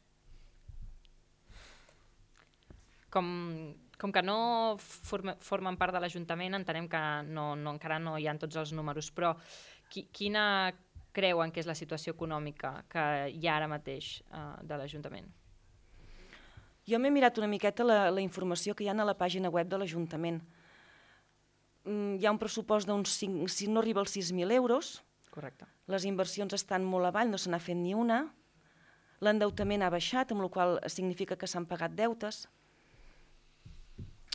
Com que no formen part de l'Ajuntament, entenem que encara no hi ha tots els números, però quina creuen que és la situació econòmica que hi ha ara mateix de l'Ajuntament? Jo m'he mirat una miqueta la informació que hi ha a la pàgina web de l'Ajuntament. Hi ha un pressupost d'uns 5, si no arriba als 6.000 euros. Correcte. Les inversions estan molt avall, no se n'ha fet ni una. L'endeutament ha baixat, amb la qual cosa significa que s'han pagat deutes.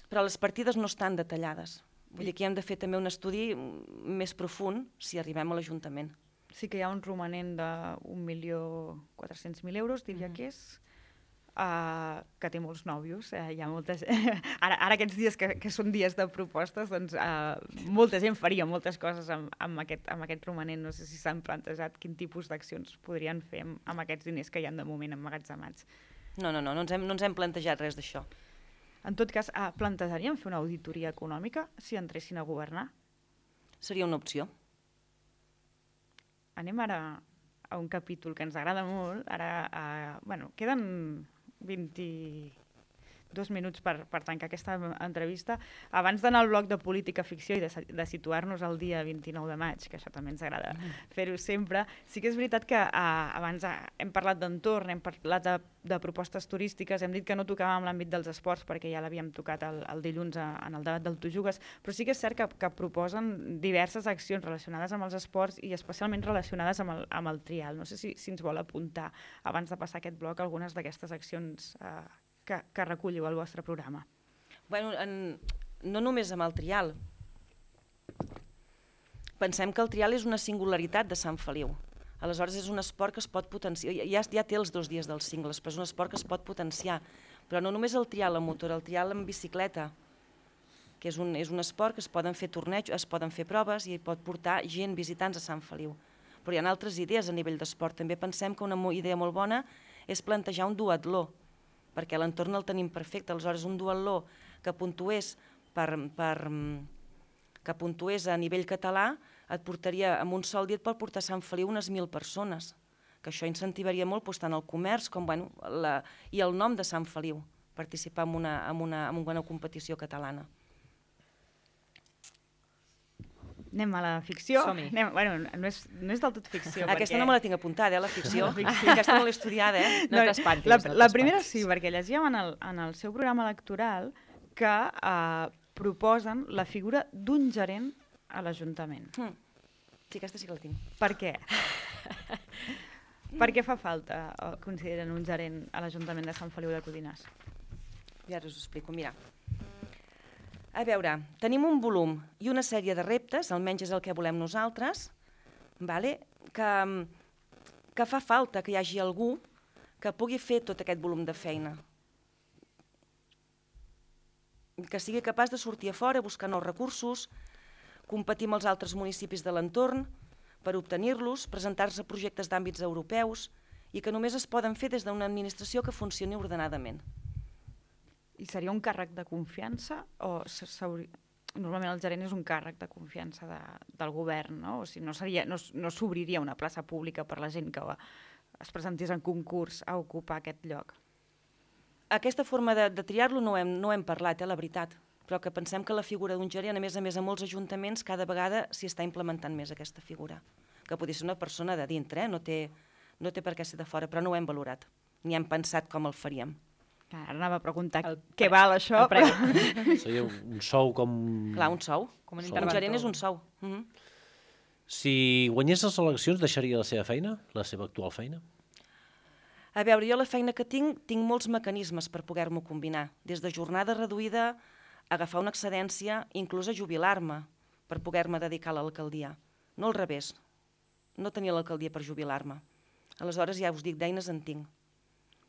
Però les partides no estan detallades. Vull dir que hem de fer també un estudi més profund si arribem a l'Ajuntament. Sí que hi ha un romanent de 1.400.000 euros, diria que és, que té molts nòvios. Hi ha moltes... Ara aquests dies que són dies de propostes, doncs molta gent faria moltes coses amb aquest romanent. No sé si s'han plantejat quin tipus d'accions podrien fer amb aquests diners que hi ha de moment emmagatzemats. No ens hem plantejat res d'això. En tot cas, plantejaríem fer una auditoria econòmica si entressin a governar? Seria una opció. Anem ara a un capítol que ens agrada molt. Queden 22 minuts per tancar aquesta entrevista. Abans d'anar al bloc de política ficció i de situar-nos el dia 29 de maig, que això també ens agrada fer-ho sempre, sí que és veritat que abans hem parlat d'entorn, hem parlat de propostes turístiques, hem dit que no tocàvem l'àmbit dels esports perquè ja l'havíem tocat el dilluns en el debat del Tu Jugues, però sí que és cert que proposen diverses accions relacionades amb els esports i especialment relacionades amb el trial. No sé si ens vol apuntar, abans de passar aquest bloc, algunes d'aquestes accions que recolliu al vostre programa. Bueno, no només amb el trial. Pensem que el trial és una singularitat de Sant Feliu. Aleshores és un esport que es pot potenciar. Ja té els 2 dies dels cingles, però és un esport que es pot potenciar. Però no només el trial amb motor, el trial amb bicicleta, que és un esport que es poden fer tornejos, es poden fer proves i pot portar gent, visitants a Sant Feliu. Però hi ha altres idees a nivell d'esport. També pensem que una idea molt bona és plantejar un duatló, perquè l'entorn el tenim perfecte. Aleshores, un duatló que puntués a nivell català et portaria, en un sol dia et pot portar a Sant Feliu unes 1.000 persones, que això incentivaria molt tant el comerç com i el nom de Sant Feliu, participar en una competició catalana. Anem a la ficció. Som-hi. No és del tot ficció. Aquesta no me la tinc apuntada, la ficció. Aquesta no l'he estudiada, No t'espantis. La primera sí, perquè llegíem en el seu programa electoral que proposen la figura d'un gerent a l'Ajuntament. Sí, aquesta sí que la tinc. Per què? Per què fa falta, consideren, un gerent a l'Ajuntament de Sant Feliu de Codines? Ja us ho explico, mira. A veure, tenim un volum i una sèrie de reptes, almenys és el que volem nosaltres, que fa falta que hi hagi algú que pugui fer tot aquest volum de feina. Que sigui capaç de sortir a fora, buscar nous recursos, competir amb els altres municipis de l'entorn per obtenir-los, presentar-se a projectes d'àmbits europeus i que només es poden fer des d'una administració que funcioni ordenadament. I seria un càrrec de confiança o normalment el gerent és un càrrec de confiança del govern, no? O sigui, no s'obriria una plaça pública per la gent que es presentés en concurs a ocupar aquest lloc? Aquesta forma de triar-lo no hem parlat, la veritat, però que pensem que la figura d'un gerent, a més a molts ajuntaments, cada vegada s'hi està implementant més aquesta figura, que podria ser una persona de dintre, no té per què ser de fora, però no ho hem valorat, ni hem pensat com el faríem. Ara anava a preguntar què val això. Seria un sou com... Clar, un sou. Un gerent és un sou. Si guanyés les eleccions, deixaria la seva feina, la seva actual feina? A veure, jo la feina que tinc molts mecanismes per poder-m'ho combinar, des de jornada reduïda, agafar una excedència, inclús a jubilar-me per poder-me dedicar a l'alcaldia. No al revés, no tenia l'alcaldia per jubilar-me. Aleshores, ja us dic, d'eines en tinc.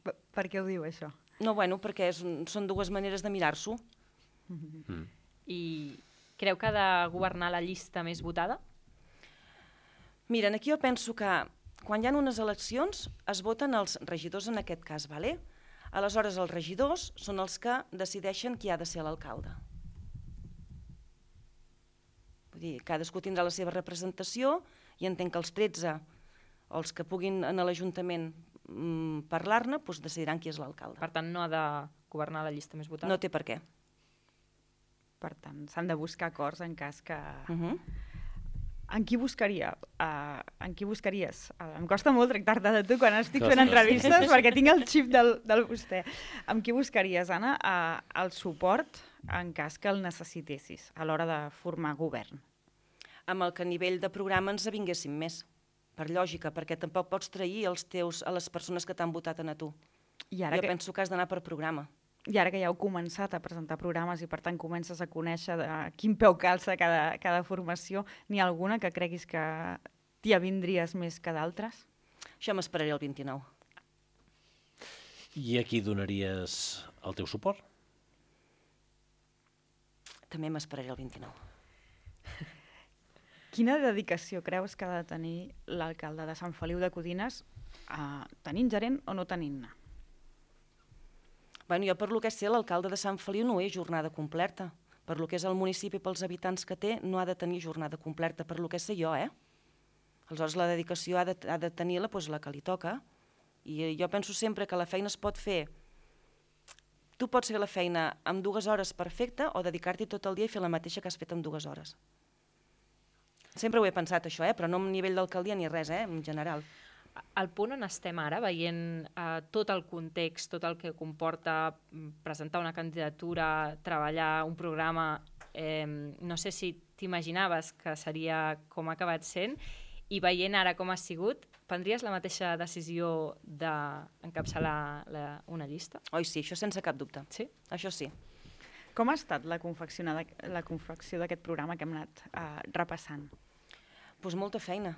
Per què ho diu, això? No, bueno, perquè són dues maneres de mirar-s'ho. I creu que ha de governar la llista més votada? Mira, aquí jo penso que quan hi ha unes eleccions es voten els regidors en aquest cas, ¿vale? Aleshores els regidors són els que decideixen qui ha de ser l'alcalde. Vull dir, cadascú tindrà la seva representació i entenc que els 13 o els que puguin en l'Ajuntament parlar-ne decidiran qui és l'alcalde. Per tant, no ha de governar la llista més votada? No té per què. Per tant, s'han de buscar acords en cas que... En qui buscaria? En qui buscaries? Em costa molt tractar-te de tu quan estic fent entrevistes perquè tinc el xip del vostè. Amb qui buscaries, Anna, el suport en cas que el necessitessis a l'hora de formar govern? Amb el que a nivell de programa ens avinguéssim més. Per lògica, perquè tampoc pots trair a les persones que t'han votat a tu. Jo penso que has d'anar per programa. I ara que ja heu començat a presentar programes i per tant comences a conèixer de quin peu calça cada formació, n'hi ha alguna que creguis que t'hi avindries més que d'altres? Això m'esperaré el 29. I a qui donaries el teu suport? També m'esperaré el 29. Quina dedicació creus que ha de tenir l'alcalde de Sant Feliu de Codines tenint gerent o no tenint-ne? Jo per lo que sé, l'alcalde de Sant Feliu no és jornada completa. Per lo que és el municipi, pels habitants que té, no ha de tenir jornada completa, per lo que sé jo, Aleshores la dedicació ha de tenir la que li toca. I jo penso sempre que la feina es pot fer. Tu pots fer la feina en 2 hores perfecta o dedicar-t'hi tot el dia i fer la mateixa que has fet en 2 hores. Sempre ho he pensat, això, però no a nivell d'alcaldia ni res, en general. Al punt on estem ara, veient tot el context, tot el que comporta presentar una candidatura, treballar un programa, no sé si t'imaginaves que seria com ha acabat sent, i veient ara com ha sigut, prendries la mateixa decisió d'encapçalar una llista? Oi, sí, això sense cap dubte. Sí? Això sí. Com ha estat la confecció d'aquest programa que hem anat repassant? Molta feina,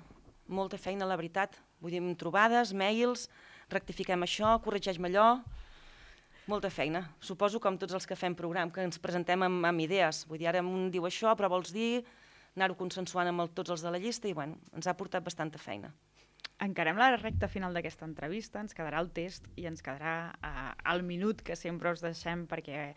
la veritat. Vull dir, trobades, mails, rectifiquem això, corregeix-me allò... Molta feina. Suposo com tots els que fem programa, que ens presentem amb idees. Vull dir, ara un diu això, però vols dir anar-ho consensuant amb tots els de la llista i, ens ha portat bastanta feina. Encarem la recta final d'aquesta entrevista, ens quedarà el test i ens quedarà el minut que sempre us deixem perquè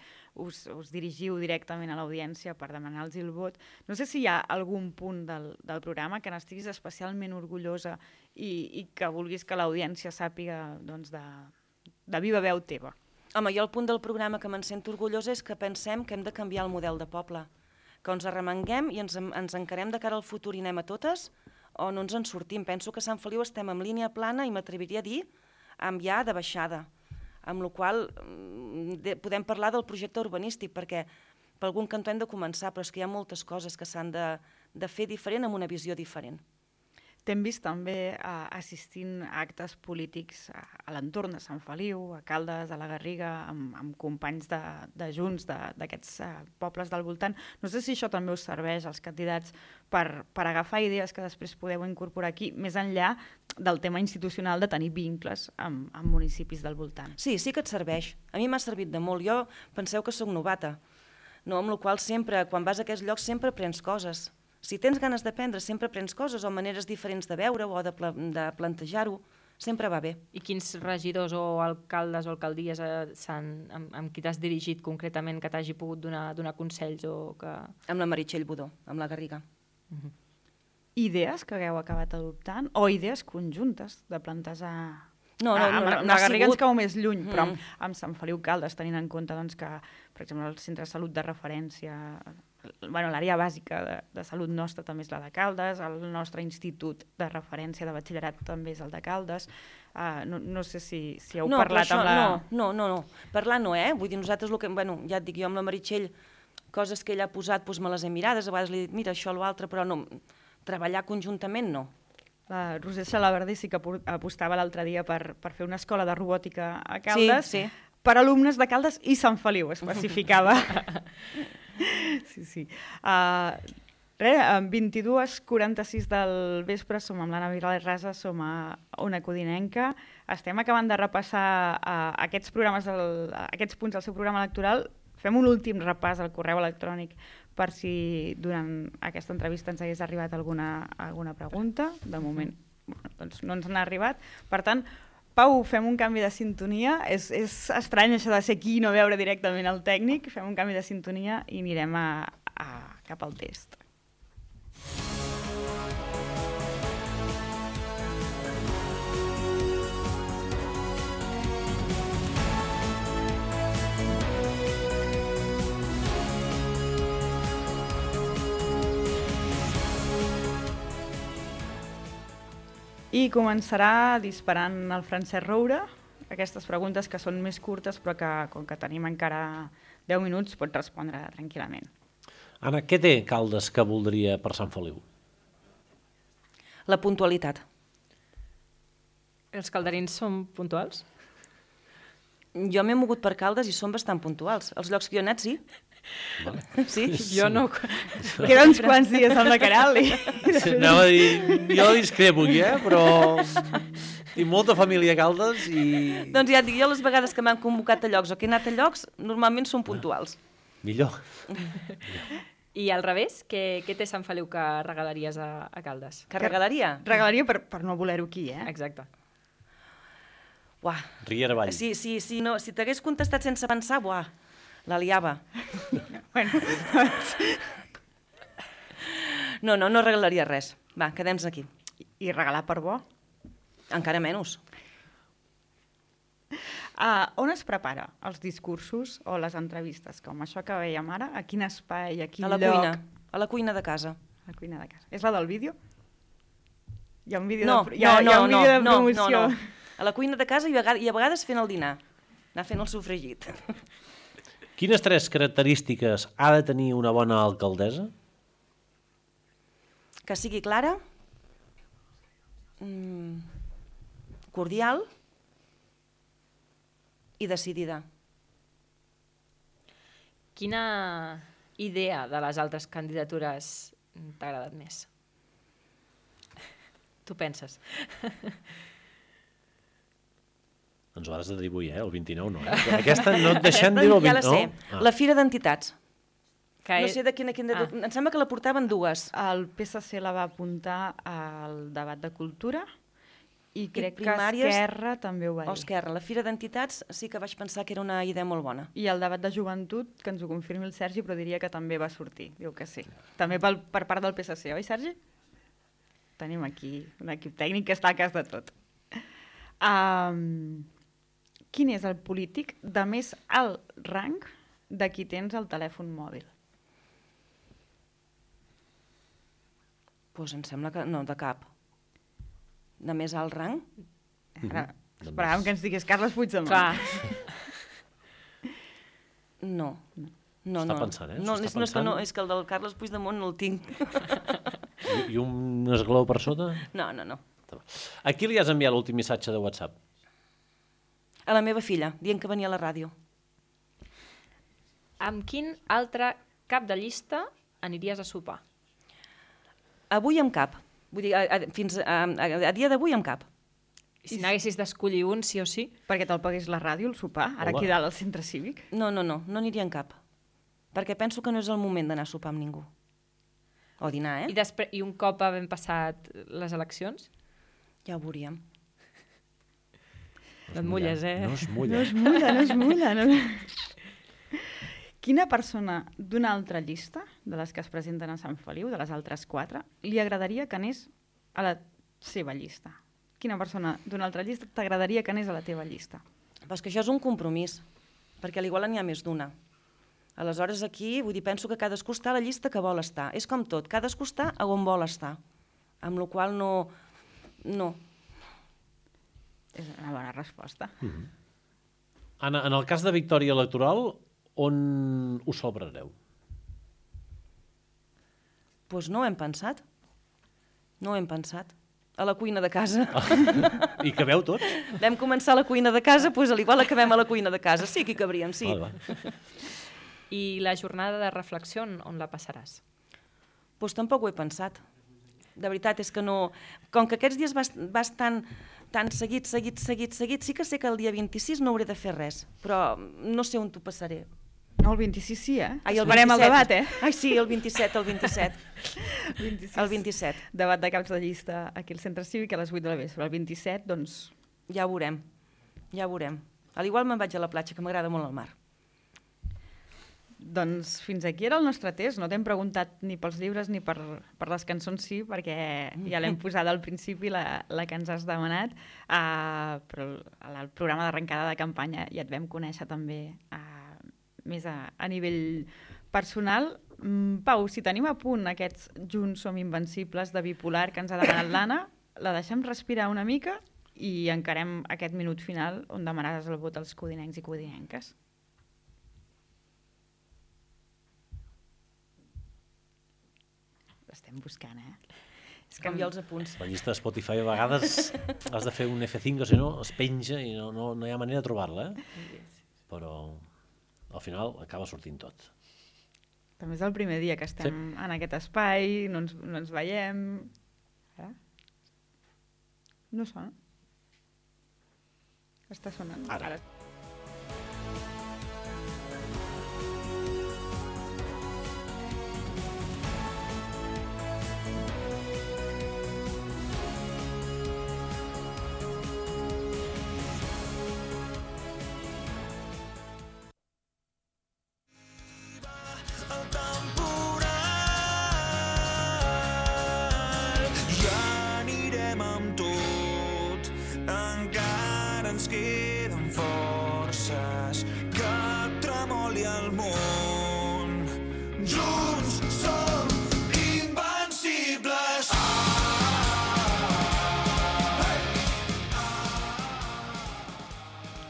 us dirigiu directament a l'audiència per demanar-los el vot. No sé si hi ha algun punt del programa que n'estiguis especialment orgullosa i que vulguis que l'audiència sàpiga de viva veu teva. Home, jo el punt del programa que me'n sento orgullosa és que pensem que hem de canviar el model de poble, que ens arremanguem i ens encarem de cara al futur i anem a totes o no ens en sortim. Penso que a Sant Feliu estem en línia plana i m'atreviria a dir ja de baixada, amb la qual podem parlar del projecte urbanístic, perquè per algun cantó hem de començar, però és que hi ha moltes coses que s'han de fer diferent amb una visió diferent. T'hem vist també assistint a actes polítics a l'entorn de Sant Feliu, a Caldes, a la Garriga, amb companys de Junts d'aquests pobles del voltant. No sé si això també us serveix als candidats per agafar idees que després podeu incorporar aquí, més enllà del tema institucional de tenir vincles amb municipis del voltant. Sí que et serveix. A mi m'ha servit de molt. Jo penseu que sóc novata, no? Amb la qual sempre, quan vas a aquests llocs, sempre aprens coses. Si tens ganes d'aprendre, sempre aprens coses o maneres diferents de veure-ho o de plantejar-ho. Sempre va bé. I quins regidors o alcaldes o alcaldies amb qui t'has dirigit concretament que t'hagi pogut donar consells? Amb la Meritxell Budó, amb la Garriga. Idees que hagueu acabat adoptant o idees conjuntes de plantejar... No la Garriga ens cau més lluny, però amb Sant Feliu Caldes, tenint en compte que, per exemple, el centre de salut de referència, l'àrea bàsica de salut nostra també és la de Caldes, el nostre institut de referència de batxillerat també és el de Caldes. No sé si heu parlat amb la... No. Parlar no, Vull dir, nosaltres, ja et dic, jo amb la Meritxell, coses que ella ha posat, me les he mirades, a vegades li he dit, mira, això o l'altre, però no, treballar conjuntament no. La Roser Xalabardi sí que apostava l'altre dia per fer una escola de robòtica a Caldes, per alumnes de Caldes i Sant Feliu, especificava. Sí. Amb 22:46 del vespre som amb l'Anna Viral i Rasa, som a Ona Codinenca. Estem acabant de repassar aquests punts del seu programa electoral. Fem un últim repàs al correu electrònic per si durant aquesta entrevista ens hagués arribat alguna pregunta. De moment doncs no ens n'ha arribat. Per tant, Pau, fem un canvi de sintonia. És estrany això de ser aquí i no veure directament el tècnic. Fem un canvi de sintonia i anirem cap al test. I començarà disparant el Francesc Roure, aquestes preguntes que són més curtes però que, com que tenim encara 10 minuts, pot respondre tranquil·lament. Anna, què té Caldes que voldria per Sant Feliu? La puntualitat. Els calderins són puntuals? Jo m'he mogut per Caldes i són bastant puntuals. Els llocs que jo he anat, sí. Vale. Sí? Jo no. Queden uns quants dies amb la Caral. Anava a dir, jo discrepo aquí, però tinc molta família a Caldes i... Doncs ja et dic, jo les vegades que m'han convocat a llocs o que he anat a llocs, normalment són puntuals. Millor. I al revés, què té Sant Feliu que regalaries a Caldes? Que regalaria? Regalaria per no voler-ho aquí, Exacte. Uah. Riera Vall. Sí, no, si t'hagués contestat sense pensar, la liava. No regalaria res. Va, quedem-nos aquí. I regalar per bo? Encara menys. On es prepara els discursos o les entrevistes? Com això que veiem ara, a quin espai, a quin lloc? A la cuina de casa. A la cuina de casa. És la del vídeo? Hi ha un vídeo de promoció. No. A la cuina de casa i a vegades fent el dinar. Anar fent el sofregit. Quines 3 característiques ha de tenir una bona alcaldessa? Que sigui clara, cordial i decidida. Quina idea de les altres candidatures t'ha agradat més? Tu penses? Ens ho has de dir avui, el 29 no. Aquesta no et deixem dir el 29. Ja la sé, la Fira d'Entitats. No sé de quina... Em sembla que la portaven 2. El PSC la va apuntar al debat de cultura i crec que Esquerra també ho va dir. Esquerra, la Fira d'Entitats sí que vaig pensar que era una idea molt bona. I el debat de joventut, que ens ho confirmi el Sergi, però diria que també va sortir. Diu que sí. També per part del PSC, oi, Sergi? Tenim aquí un equip tècnic que està a cas de tot. Quin és el polític de més alt rang de qui tens el telèfon mòbil? Doncs em sembla que no, de cap. De més alt rang? Ara, esperàvem que ens digués Carles Puigdemont. Clar. No. No, Està pensant, no, és que el del Carles Puigdemont no el tinc. I un esglaó per sota? No. A qui li has enviat l'últim missatge de WhatsApp? A la meva filla, dient que venia a la ràdio. Amb quin altre cap de llista aniries a sopar? Avui amb cap. Vull dir, fins a dia d'avui amb cap. I si n'haguessis d'escollir un, sí o sí? Perquè te'l pagués la ràdio, el sopar, ara aquí dalt al centre cívic? No aniria en cap. Perquè penso que no és el moment d'anar a sopar amb ningú. O dinar, I un cop havent passat les eleccions? Ja ho veuríem. No et mulles, No es mulla. No es mulla. Quina persona d'una altra llista, de les que es presenten a Sant Feliu, de les altres 4, li agradaria que anés a la seva llista? Quina persona d'una altra llista t'agradaria que anés a la teva llista? Però és que això és un compromís, perquè a l'igual n'hi ha més d'una. Aleshores aquí, vull dir, penso que cadascú està a la llista que vol estar. És com tot, cadascú està a on vol estar. Amb la qual no. És una bona resposta. Anna, en el cas de victòria electoral, on ho celebrareu? Doncs no ho hem pensat. A la cuina de casa. I cabeu tots? Vam començar a la cuina de casa, doncs a l'igual acabem a la cuina de casa. Sí que hi cabríem, sí. I la jornada de reflexió, on la passaràs? Doncs tampoc ho he pensat. De veritat, és que no. Com que aquests dies vas tan seguit, sí que sé que el dia 26 no hauré de fer res, però no sé on t'ho passaré. No, el 26 sí, Ai, Esperem el debat, Ai, sí, el 27. El 27. Debat de caps de llista aquí al centre cívic a les 8 de la vespre. El 27, doncs... Ja ho veurem. A l'igual me'n vaig a la platja, que m'agrada molt el mar. Doncs fins aquí era el nostre test. No t'hem preguntat ni pels llibres ni per les cançons, sí, perquè ja l'hem posat al principi, la que ens has demanat, però el programa d'arrencada de campanya ja et vam conèixer també més a nivell personal. Pau, si tenim a punt aquests Junts som invencibles de Bipolar que ens ha demanat l'Anna, la deixem respirar una mica i encarem aquest minut final on demanaràs el vot als codinencs i codinenques. Estem buscant, És canviar els apunts. La llista de Spotify a vegades has de fer un F5 o si no es penja i no hi ha manera de trobar-la, Però al final acaba sortint tot. També és el primer dia que estem en aquest espai, no ens veiem. No sona? Està sonant. Ara. Queden forces que tremoli el món. Junts som invencibles.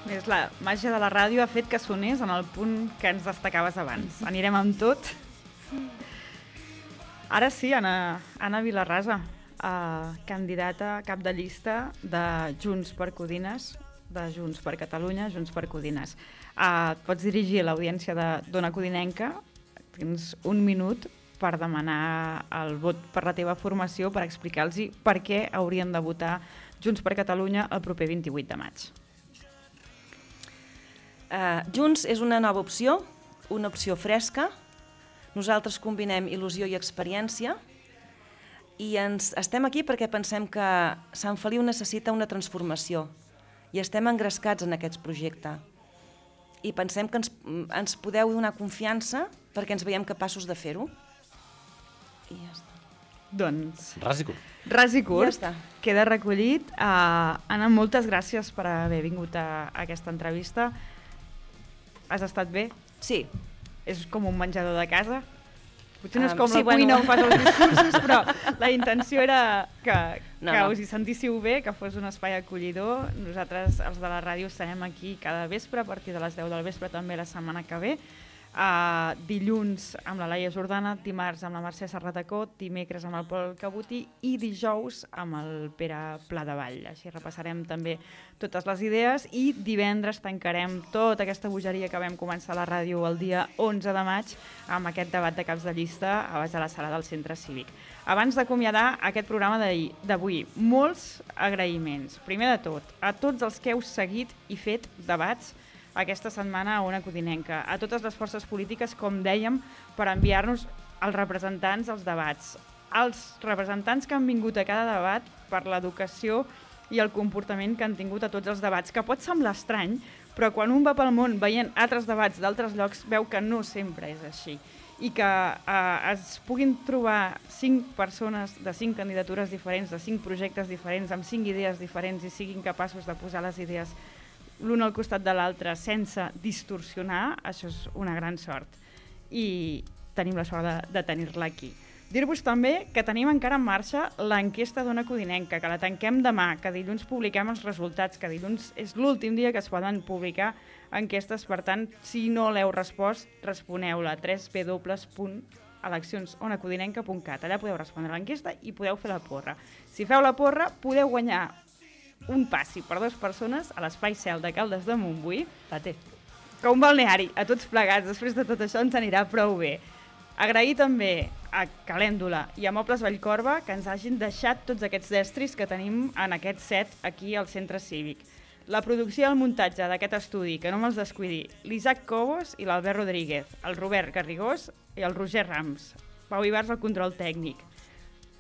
Més la màgia de la ràdio ha fet que sonés en el punt que ens destacaves abans. Anirem amb tot. Ara sí, Anna Vilarrasa, candidata cap de llista de Junts per Codines, de Junts per Catalunya, Junts per Codines. Et pots dirigir a l'audiència d'Ona Codinenca, tens un minut per demanar el vot per la teva formació, per explicar-los per què haurien de votar Junts per Catalunya el proper 28 de maig. Junts és una nova opció, una opció fresca. Nosaltres combinem il·lusió i experiència i estem aquí perquè pensem que Sant Feliu necessita una transformació i estem engrescats en aquest projecte. I pensem que ens podeu donar confiança perquè ens veiem capaços de fer-ho. I ja està. Doncs... Ras i curt. Ras i curt. Ja està. Queda recollit. Anna, moltes gràcies per haver vingut a aquesta entrevista. Has estat bé? Sí. És com un menjador de casa? Potser no és com sí, la cuina on fas els discursos, però la intenció era que us hi sentíssiu bé, que fos un espai acollidor. Nosaltres, els de la ràdio, estarem aquí cada vespre, a partir de les 10 del vespre, també la setmana que ve. dilluns amb la Laia Jordana, dimarts amb la Mercè Serratacó, dimecres amb el Pol Cabotí i dijous amb el Pere Pladevall. Així repassarem també totes les idees i divendres tancarem tota aquesta bogeria que vam començar a la ràdio el dia 11 de maig amb aquest debat de caps de llista a baix de la sala del Centre Cívic. Abans d'acomiadar aquest programa d'avui, molts agraïments. Primer de tot, a tots els que heu seguit i fet debats aquesta setmana a Ona Codinenca, a totes les forces polítiques, com dèiem, per enviar-nos els representants als debats, els representants que han vingut a cada debat per l'educació i el comportament que han tingut a tots els debats, que pot semblar estrany, però quan un va pel món veient altres debats d'altres llocs veu que no sempre és així i que es puguin trobar 5 persones de 5 candidatures diferents, de 5 projectes diferents, amb 5 idees diferents i siguin capaços de posar les idees l'un al costat de l'altre sense distorsionar, això és una gran sort. I tenim la sort de tenir-la aquí. Dir-vos també que tenim encara en marxa l'enquesta d'Ona Codinenca, que la tanquem demà, que dilluns publiquem els resultats, que dilluns és l'últim dia que es poden publicar enquestes, per tant, si no l'heu respost, responeu-la a www.eleccionsonacodinenca.cat. Allà podeu respondre l'enquesta i podeu fer la porra. Si feu la porra, podeu guanyar un passi per 2 persones a l'Espai Cel de Caldes de Montbui, que un balneari, a tots plegats. Després de tot això ens anirà prou bé. Agrair també a Calèndula i a Mobles Vallcorba que ens hagin deixat tots aquests estris que tenim en aquest set aquí al Centre Cívic. La producció i el muntatge d'aquest estudi, que no me'ls descuidi, l'Isaac Cobos i l'Albert Rodríguez, el Robert Garrigós i el Roger Rams, Pau Ibars al control tècnic,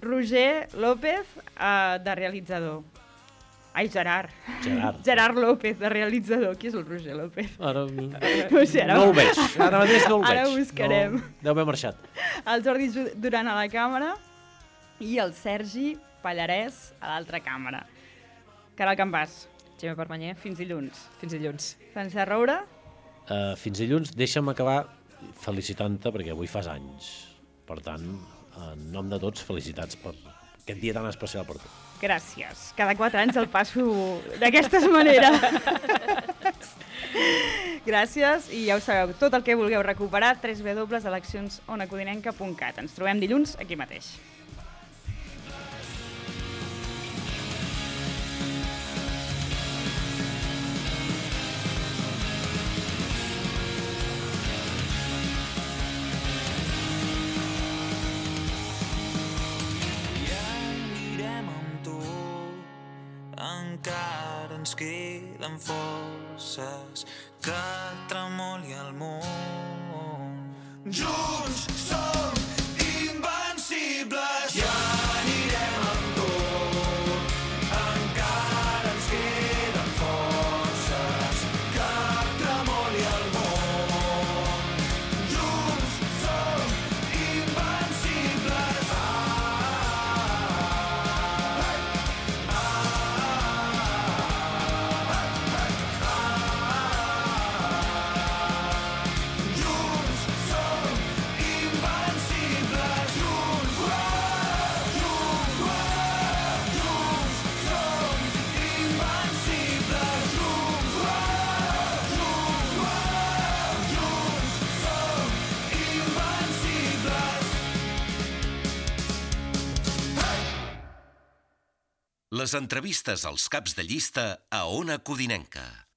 Roger López de realitzador. Ai, Gerard López, de realitzador. Qui és el Roger López? Ara no ho veig. Ara mateix no el veig. Ara buscarem. Deu haver marxat. El Jordi Duran a la càmera i el Sergi Pallarès a l'altra càmera. Caral Campàs. Gemma Permanyer. Fins dilluns. Fins dilluns. Francesc Roura. Fins dilluns. Deixa'm acabar felicitant-te perquè avui fas anys. Per tant, en nom de tots, felicitats per aquest dia tan especial per tu. Gràcies. Cada 4 anys el passo d'aquesta manera. Gràcies i ja ho sabeu, tot el que vulgueu recuperar, www.eleccionsonacodinenca.cat. Ens trobem dilluns aquí mateix. Encara ens queden forces que tremoli el món. Junts som invencibles, ja anirem amb tot. Encara ens queden forces que tremoli el món. Junts som invencibles. Les entrevistes als caps de llista a Ona Codinenca.